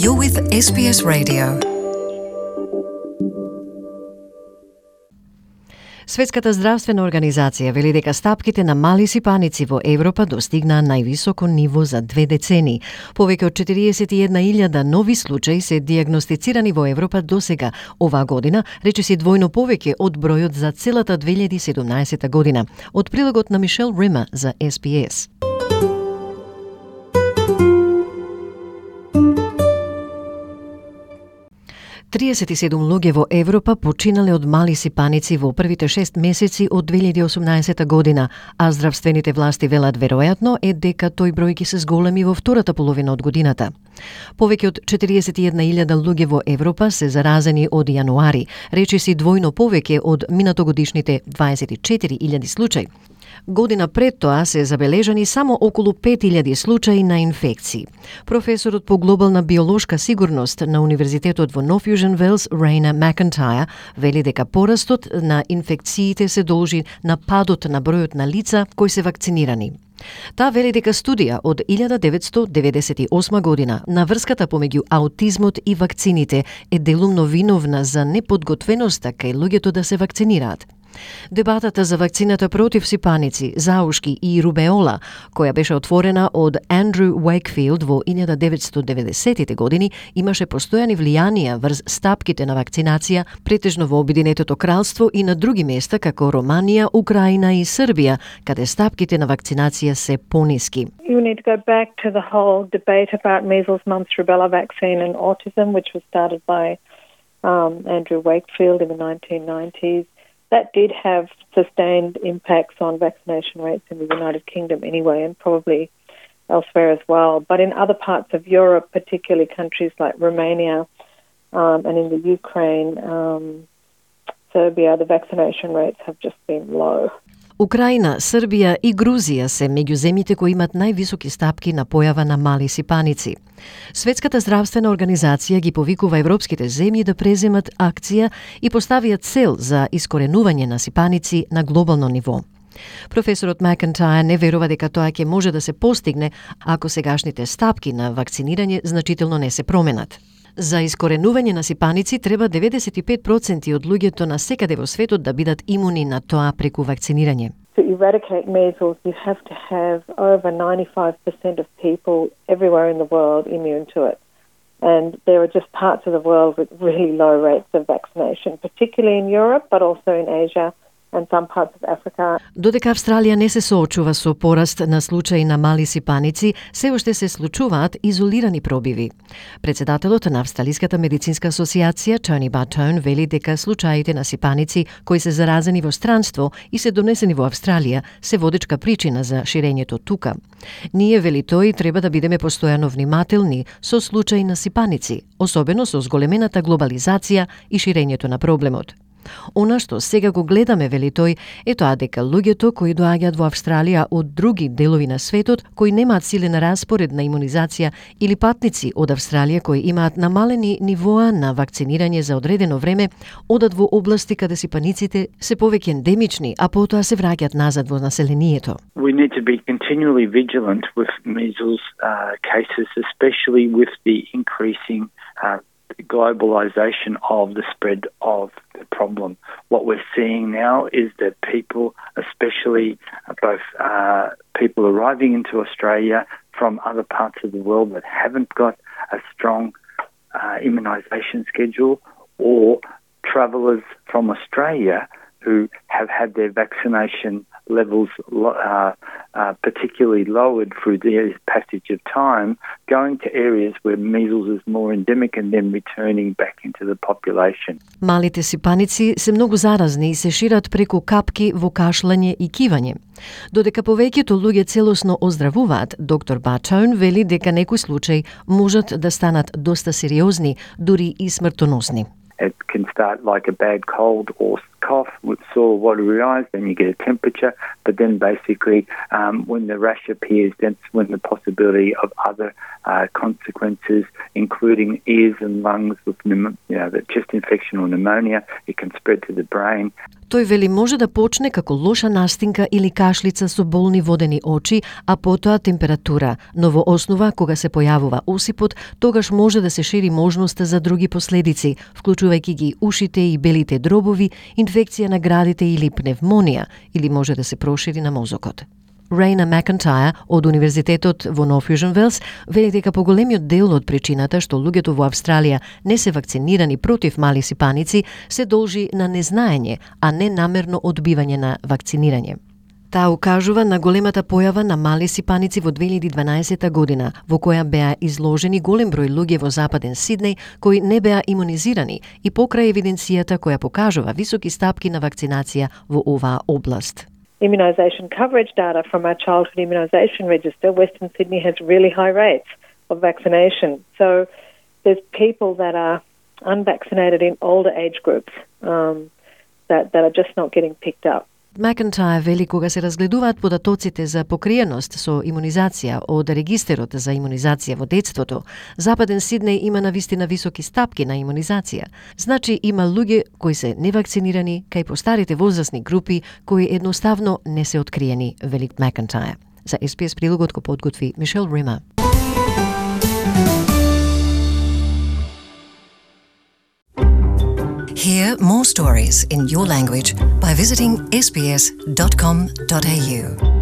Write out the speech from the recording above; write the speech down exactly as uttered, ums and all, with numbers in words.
You're with S B S Radio. Светската здравствена организација вели дека стапките на мали сипаници во Европа достигнаа највисоко ниво за две децени. Повеќе од четириесет и една илјада нови случаи се дијагностицирани во Европа досега оваа година, речиси двојно повеќе од бројот за целата две илјади и седумнаесета година. Од прилогот на Мишел Рима за С Б С. триесет и седум луѓе во Европа починале од мали сипаници во првите шест месеци од две илјади и осумнаесета година, а здравствените власти велат веројатно е дека тој број ќе се зголеми во втората половина од годината. Повеќе од четириесет и една илјада луѓе во Европа се заразени од јануари, речиси двојно повеќе од минатогодишните дваесет и четири илјади случаи. Година пред тоа се забележани само околу пет илјади случаи на инфекции. Професорот по глобална биолошка сигурност на Универзитетот во Нов Јужен Велс, Рейна Макентајр, вели дека порастот на инфекциите се должи на падот на бројот на лица кои се вакцинирани. Таа вели дека студија од илјада деветстотини деветдесет и осма година на врската помеѓу аутизмот и вакцините е делумно виновна за неподготвеноста кај луѓето да се вакцинираат. Дебатата за вакцината против сипаници, заушки и рубеола, која беше отворена од Андрю Уейкфилд во илјада деветстотини деветдесетите години, имаше постојани влијанија врз стапките на вакцинација, претежно во Обединетото кралство и на други места како Романија, Украина и Србија, каде стапките на вакцинација се пониски. You need to go back to the whole debate about measles, mumps, rubella vaccine and autism, which was started by um, Andrew Wakefield in the nineteen nineties. That did have sustained impacts on vaccination rates in the United Kingdom anyway, and probably elsewhere as well. But in other parts of Europe, particularly countries like Romania um, and in the Ukraine, um, Serbia, the vaccination rates have just been low. Украина, Србија и Грузија се меѓу земјите кои имат највисоки стапки на појава на мали сипаници. Светската здравствена организација ги повикува европските земји да преземат акција и поставиат цел за искоренување на сипаници на глобално ниво. Професорот Макентајр не верува дека тоа ќе може да се постигне ако сегашните стапки на вакцинирање значително не се променат. За искоренување на сипаници треба деветдесет и пет проценти од луѓето на секаде во светот да бидат имуни на тоа преку вакцинирање. To eradicate measles, you have to have over ninety-five percent of people everywhere in the world immune to it. And there are just parts of the world with really low rates of vaccination, particularly in Europe, but also in Asia and some parts of Africa. Додека Австралија не се соочува со пораст на случаи на мали сипаници, се уште се случуваат изолирани пробиви. Председателот на Австралиската медицинска асоциација, Тони Бартон, вели дека случаите на сипаници кои се заразени во странство и се донесени во Австралија се водечка причина за ширењето тука. Ние, вели тој, треба да бидеме постојано внимателни со случаи на сипаници, особено со зголемената глобализација и ширењето на проблемот. Она што сега го гледаме, вели тој, е тоа дека луѓето кои доаѓаат во Австралија од други делови на светот, кои немаат силен распоред на имунизација или патници од Австралија кои имаат намалени нивоа на вакцинирање за одредено време, одат во области каде сипаниците се повеќе ендемични, а потоа се враќаат назад во населението. We need to be continually vigilant with measles uh, cases, especially with the increasing uh, globalization of the spread of the problem. What we're seeing now is that people, especially both uh, people arriving into Australia from other parts of the world that haven't got a strong uh, immunisation schedule, or travellers from Australia who have had their vaccination levels uh, uh, particularly lowered through the passage of time, going to areas where measles is more endemic and then returning back into the population. Малите сипаници се многу заразни и се шират преку капки во кашлање и кивање. Додека повеќето луѓе целосно оздравуваат, доктор Бартон вели дека некои случаи можат да станат доста сериозни, дури и смртоносни. It can start like a bad cold or cough with sore, watery eyes, then you get a temperature, but then basically um, when the rash appears, that's when the possibility of other uh, consequences, including ears and lungs with pneum- you know, the chest infection or pneumonia, it can spread to the brain. Тој вели може да почне како лоша настинка или кашлица со болни водени очи, а потоа температура, но во основа кога се појавува осипот, тогаш може да се шири можноста за други последици, вклучувајќи ги ушите и белите дробови, инфекција на градите или пневмонија, или може да се прошири на мозокот. Рейна Макентајр од Универзитетот во North Wales вели дека поголемиот дел од причината што луѓето во Австралија не се вакцинирани против мали сипаници се должи на незнаење, а не намерно одбивање на вакцинирање. Таа укажува на големата појава на мали сипаници во две илјади и дванаесета година, во која беа изложени голем број луѓе во западен Сиднеј кои не беа имунизирани и покрај евиденцијата која покажува високи стапки на вакцинација во оваа област. Immunisation coverage data from our childhood immunisation register, Western Sydney has really high rates of vaccination. So there's people that are unvaccinated in older age groups um, that, that are just not getting picked up. Макентајр вели кога се разгледуваат податоците за покриеност со имунизација од регистерот за имунизација во детството, Западен Сиднеј има навистина високи стапки на имунизација. Значи има луѓе кои се невакцинирани кај постарите возрастни групи кои едноставно не се откриени, вели Макентајр. За Ес Би Ес прилогот го подготви Мишел Рима. Hear more stories in your language by visiting s b s dot com dot a u.